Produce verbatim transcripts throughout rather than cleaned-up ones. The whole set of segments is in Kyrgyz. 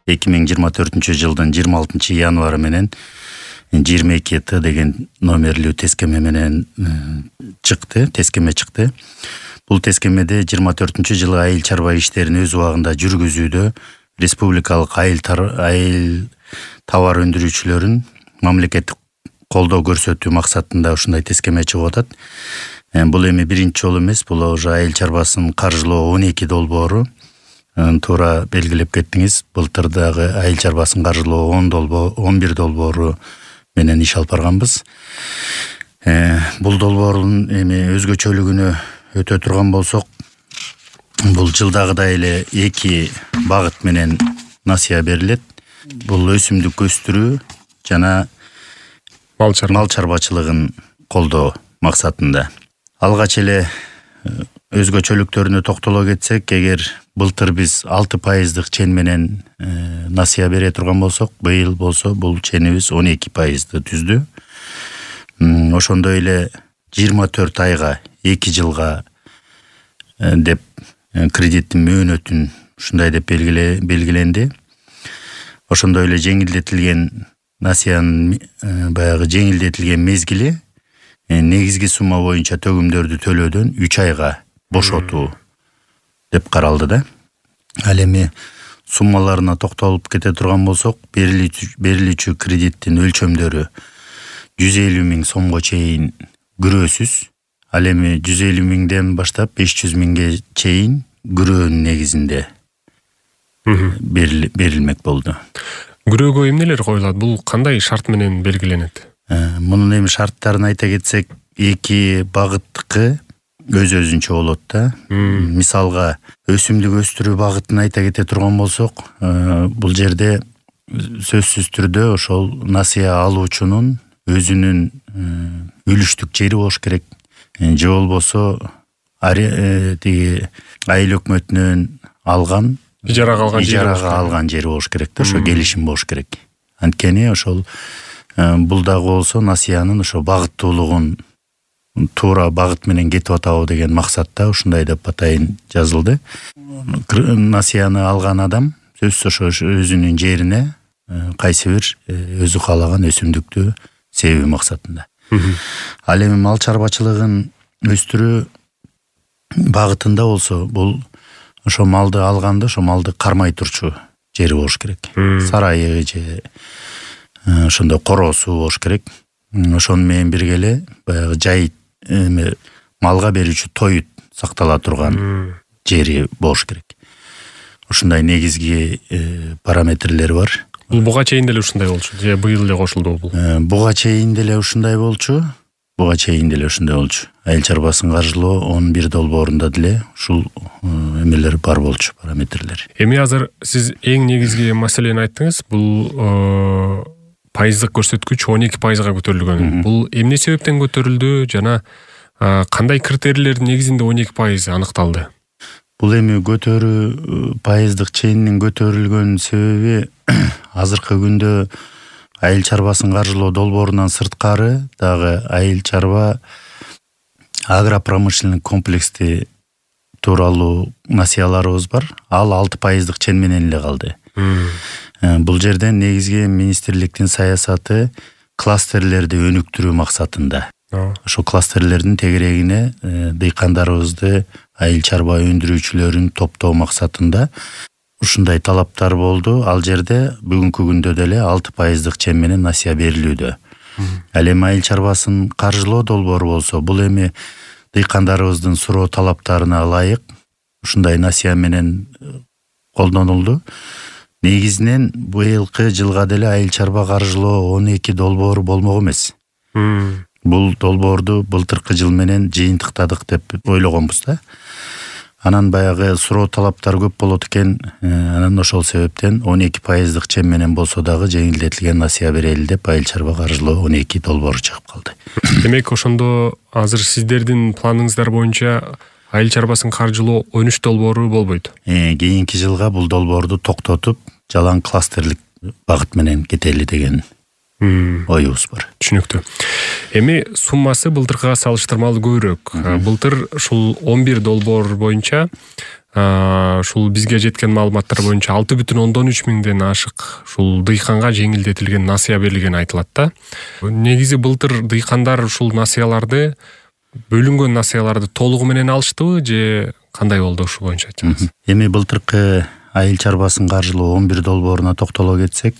эки миң жыйырма төртүнчү жылдын жыйырма алтынчы январы менен жыйырма эки Т деген номерлүү тескеме менен чыкты, тескеме чыкты. Бул тескемеде жыйырма төртүнчү жылы айыл чарба иштерин өз убагында жүргүзүүдө республикалык айыл айыл товар өндүрүүчүлөрүн мамлекеттик колдоо көрсөтүү максатында ушундай тескеме чыгып атат. Бул эми биринчи жолу эмес, бул уже айыл чарбасын каржылоо он эки долбоору. Туура белгилеп кеттиңиз. Былтыр дагы айыл чарбасын каржылоо он долбоор, он бир долбоору менен иш алып барганбыз. Бул долбоордун эми өзгөчөлүгүнө өтө турган болсок, бул жылдагыдай эле эки багыт менен насыя берилет. Бул өсүмдүк өстүрүү жана мал чарбачылыгын колдоо максатында. Алгач эле өзгөчөлүктөрүнө токтоло кетсек, эгер былтыр биз алты пайыздык чен менен насыя бере турган болсок, быйыл болсо бул ченибиз он эки пайызды түздү. Ошондой эле жыйырма төрт айга, эки жылга деп кредиттин мөөнөтүн ушундай деп белгиленди. Ошондой эле жеңилдетилген насыянын баягы жеңилдетилген мезгили негизги сумма боюнча төгүмдөрдү төлөөдөн үч айга бошотуу деп каралды да. Ал эми суммаларына токтолуп кете турган болсок, берилүүчү кредиттин өлчөмдөрү жүз элүү миң сомго чейин күрөөсүз. Ал эми жүз элүү миңден баштап беш жүз миңге чейин күрөөнүн негизинде берилмек болду. Күрөөгө эмнелер коюлат? Бул кандай шарт менен белгиленет? Мунун эми шарттарын айта кетсек, эки багыттыкы өз-өзүнчө болот да. Мисалга, өсүмдүк өстүрүү багытын айта кете турган болсок, бул жерде сөзсүз түрдө ошол насыя алуучунун өзүнүн үлүштүк жери болуш керек. Же болбосо тиги айыл өкмөтүнөн алган ижарага алган жери болуш керек да, ошо келишим болуш керек. Анткени ошол бул дагы болсо насыянын ошо багыттуулугун туура багыт менен кетип атабы деген максатта ушундай деп атайын жазылды. Насыяны алган адам сөзсүз ошо өзүнүн жерине кайсы бир өзү каалаган өсүмдүктү себүү максатында. Ал эми мал чарбачылыгын өстүрүү багытында болсо, бул ошо малды алганда ошо малды кармай турчу жери болуш керек. Сарайы же ошондой короосу болуш керек. Ошону менен бирге эле баягы жай эми малга берүүчү тоют сактала турган жери болуш керек. Ушундай негизги параметрлери бар. Бул буга чейин деле ушундай болчу, же быйыл эле кошулду бул? Буга чейин деле ушундай болчу. Буга чейин деле ушундай болчу. Айыл чарбасын каржылоо он бир долбоорунда деле ушул эмелер бар болчу, параметрлер. Эми азыр сиз эң негизги маселени айттыңыз. Бул пайыздык көрсөткүч он эки пайызга көтөрүлгөн. Бул эмне себептен көтөрүлдү жана кандай критерийлердин негизинде он эки пайыз аныкталды? Бул эми көтөрүү пайыздык ченинин көтөрүлгөн себеби азыркы күндө айыл чарбасын каржылоо долбоорунан сырткары дагы айыл чарба агропромышленный комплексти тууралуу насыяларыбыз бар. Ал алты пайыздык чен менен эле калды. Бул жерде негизги министрликтин саясаты кластерлерди өнүктүрүү максатында. Ошо кластерлердин тегерегине дыйкандарыбызды, айыл чарба өндүрүүчүлөрүн топтоо максатында ушундай талаптар болду. Ал жерде бүгүнкү күндө деле алты пайыздык чен менен насыя берилүүдө. Ал эми айыл чарбасын каржылоо долбоору болсо, бул эми дыйкандарыбыздын суроо талаптарына ылайык ушундай насыя менен колдонулду. Негизинен быйылкы жылга деле айыл чарба каржылоо он эки долбоору болмок эмес. Бул долбоорду былтыркы жыл менен жыйынтыктадык деп ойлогонбуз да. Анан баягы суроо талаптар көп болот экен. Анан ошол себептен он эки пайыздык чен менен болсо дагы жеңилдетилген насыя берели деп айыл чарба каржылоо он эки долбоору чыгып калды. Демек ошондо азыр сиздердин планыңыздар боюнча айыл чарбасын каржылоо он үч долбоору болбойт. Кийинки жылга бул долбоорду токтотуп, жалаң кластерлик багыт менен кетели деген оюбуз бар. Түшүнүктүү. Эми суммасы былтыркыга салыштырмалуу көбүрөөк. Былтыр ушул он бир долбоор боюнча ушул бизге жеткен маалыматтар боюнча алты бүтүн ондон үч миңден ашык ушул дыйканга жеңилдетилген насыя берилгени айтылат да. Негизи былтыр дыйкандар ушул насыяларды, бөлүнгөн насыяларды толугу менен алыштыбы же кандай болду, ушул боюнча айтсаңыз? Эми былтыркы айыл чарбасын каржылоо он бир долбооруна токтоло кетсек,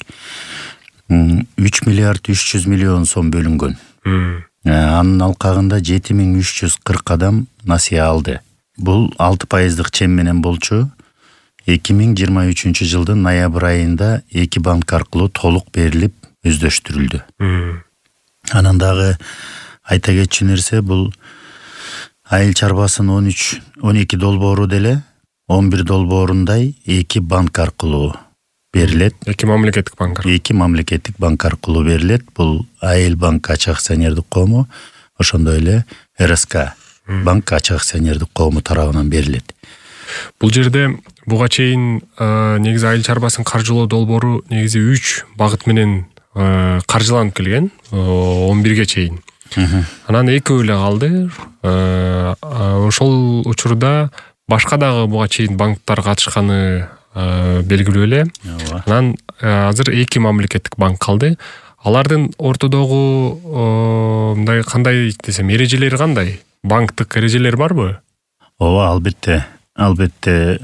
үч миллиард үч жүз миллион сом бөлүнгөн. Анын алкагында жети миң үч жүз кырк адам насыя алды. Бул алты пайыздык чем менен болчу. эки миң жыйырма үчүнчү жылдын ноябрь айында эки банк аркылуу толук берилип өздөштүрүлдү. Анан дагы айта кетчү нерсе, бул айыл чарбасын он үч он эки долбоору деле он бир долбоорундай эки банк аркылуу берилет. Эки мамлекеттик банк. Эки мамлекеттик банк аркылуу берилет. Бул Айыл банк ачык акционердик коому, ошондой эле эр эс ка банк ачык акционердик коому тарабынан берилет. Бул жерде буга чейин негизи айыл чарбасын каржылоо долбоору негизи үч багыт менен каржыланып келген, он бирге чейин. Анан экөө эле калды. Ошол учурда башка дагы буга чейин банктар катышканы белгилүү эле. Анан азыр эки мамлекеттик банк калды. Алардын ортодогу мындай кандай десем, эрежелери кандай? Банктык эрежелер барбы? Ооба, албетте. Албетте,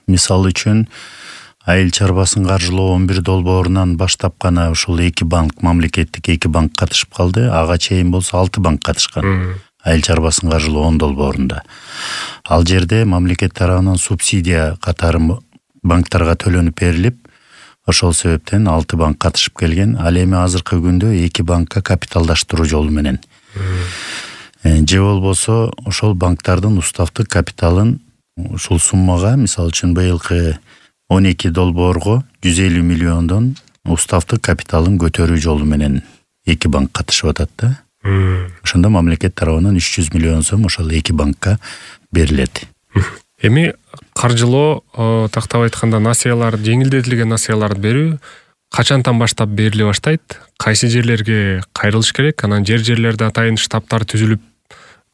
мисал үчүн айыл чарбасын каржылоо он бир долбоорунан баштап гана ушул эки банк, мамлекеттик эки банк катышып калды. Ага чейин болсо алты банк катышкан. Айыл чарбасын каржылоо он долбоорунда. Ал жерде мамлекет тарабынан субсидия катары банктарга төлөнүп берилип, ошол себептен алты банк катышып келген. Ал эми азыркы күндө эки банкка капиталдаштыруу жолу менен. Же болбосо ошол банктардын уставдык капиталын ушул суммага, мисалы үчүн быйылкы он эки долбоорго жүз элүү миллиондон уставдык капиталын көтөрүү жолу менен эки банк катышып атат да. Ошондо мамлекет тарабынан үч жүз миллион сом ошол эки банкка берилет. Эми каржылоо, тактап айтканда, насыялар, жеңилдетилген насыяларды берүү качантан баштап бериле баштайт? Кайсы жерлерге кайрылыш керек? Анан жер-жерлерде атайын штабтар түзүлүп,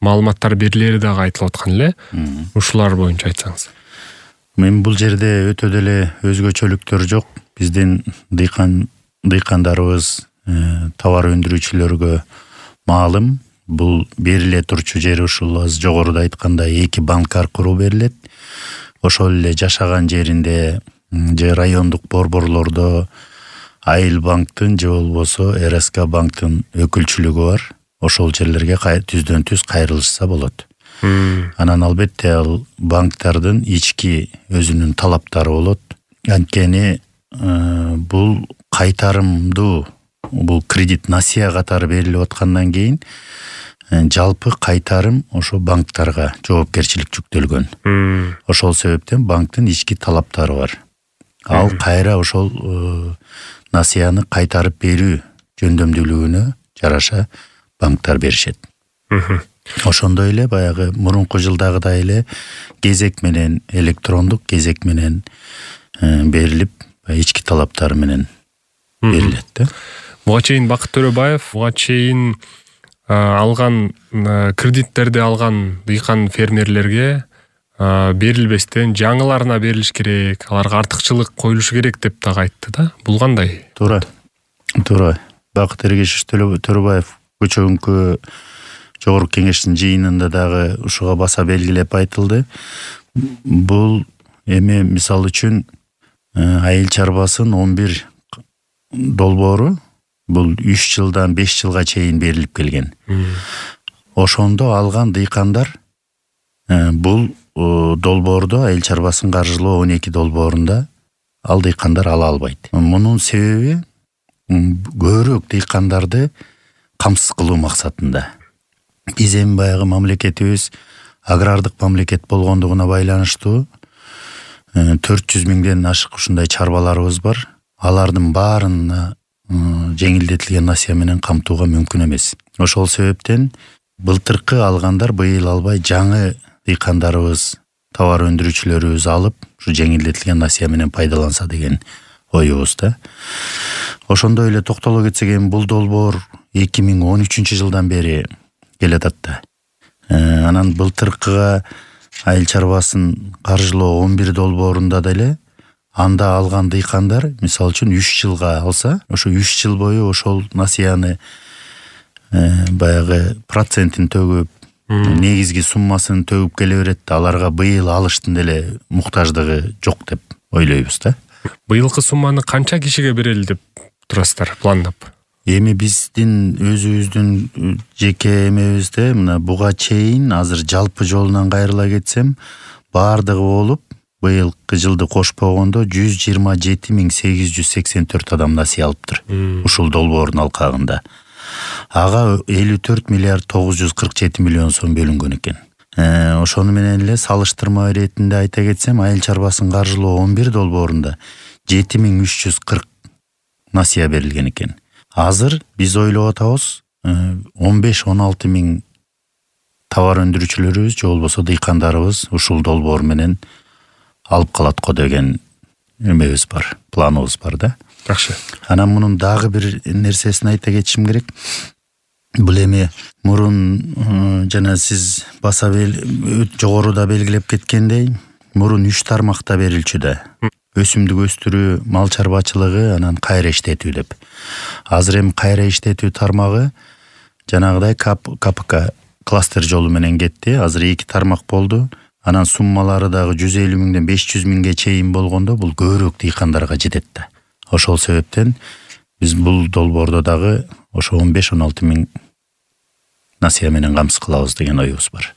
маалыматтар берилери дагы айтылып аткан эле. Ушулар боюнча айтсаңыз. Мен бул жерде өтө деле өзгөчөлүктөр жок. Биздин дыйкан дыйкандарыбыз, товар өндүрүүчүлөргө маалым, бул бериле турчу жери ушул аз жогоруда айткандай эки банк аркылуу берилет. Ошол эле жашаган жеринде же райондук борборлордо Айыл банктын же болбосо эр эс ка банктын өкүлчүлүгү бар. Ошол жерлерге түздөн түз кайрылышса болот. Анан албетте ал банктардын ички өзүнүн талаптары болот. Анткени бул кайтарымдуу, бул кредит насыя катары берилип аткандан кийин жалпы кайтарым ошо банктарга жоопкерчилик жүктөлгөн. Ошол себептен банктын ички талаптары бар. Ал кайра ошол насыяны кайтарып берүү жөндөмдүүлүгүнө жараша банктар беришет. Ошондой эле баягы мурунку жылдагыдай эле кезек менен, электрондук кезек менен берилип, ички талаптары менен берилет да. Буга чейин Бакыт Төрөбаев, буга чейин алган кредиттерди алган дыйкан фермерлерге берилбестен жаңыларына берилиш керек, аларга артыкчылык коюлушу керек деп дагы айтты да. Бул кандай? Туура. Туура. Бакыт Эргешевич Төрөбаев көчөгүнкү жогорку кеңештин жыйынында дагы ушуга баса белгилеп айтылды. Бул эми мисал үчүн айыл чарбасын он бир долбоору бул үч жылдан беш жылга чейин берилип келген. Ошондо алган дыйкандар бул долбоордо айыл чарбасын каржылоо он эки долбоорунда ал дыйкандар ала албайт. Мунун себеби көбүрөөк дыйкандарды камсыз кылуу максатында. Биз эми баягы мамлекетибиз агрардык мамлекет болгондугуна байланыштуу төрт жүз миңден ашык ушундай чарбаларыбыз бар. Алардын баарына жеңилдетилген насыя менен камтууга мүмкүн эмес. Ошол себептен былтыркы алгандар быйыл албай, жаңы дыйкандарыбыз, товар өндүрүүчүлөрүбүз алып, ушу жеңилдетилген насыя менен пайдаланса деген оюбуз да. Ошондой эле токтоло кетсек, эми бул долбоор эки миң он үчүнчү жылдан бери келатат да. Анан былтыркыга айыл чарбасын каржылоо он бир долбоорунда деле анда алган дыйкандар мисалы үчүн үч жылга алса, ошо үч жыл бою ошол насыяны баягы процентин төгүп, негизги суммасын төгүп келе берет да, аларга быйыл алыштын деле муктаждыгы жок деп ойлойбуз да. Быйылкы сумманы канча кишиге берели деп турасыздар пландап? Эми биздин өзүбүздүн жеке эмебизде мына буга чейин азыр жалпы жолунан кайрыла кетсем, баардыгы болуп быйылкы жылды кошпогондо жүз жыйырма жети миң сегиз жүз сексен төрт адам насыя алыптыр. Ушул долбоордун алкагында. Ага элүү төрт миллиард тогуз жүз кырк жети миллион сом бөлүнгөн экен. Ошону менен эле салыштырма иретинде айта кетсем, айыл чарбасын каржылоо он бир долбоорунда жети миң үч жүз кырк насыя берилген экен. Азыр биз ойлоп атабыз он беш он алты миң товар өндүрүүчүлөрүбүз же болбосо дыйкандарыбыз ушул долбоор менен алып калат го деген эмебиз бар, планыбыз бар да. Жакшы. Анан мунун дагы бир нерсесин айта кетишим керек. Бул эми мурун жана сиз баса жогоруда белгилеп кеткендей, мурун үч тармакта берилчү да. Өсүмдүк өстүрүү, мал чарбачылыгы, анан кайра иштетүү деп. Азыр эми кайра иштетүү тармагы жанагыдай КПК кластер жолу менен кетти. Азыр эки тармак болду. Анан суммалары дагы жүз элүү миңден беш жүз миңге чейин болгондо бул көбүрөөк дыйкандарга жетет да. Ошол себептен биз бул долбоордо дагы ошо он беш он алты миң насыя менен камсыз кылабыз деген оюбуз бар.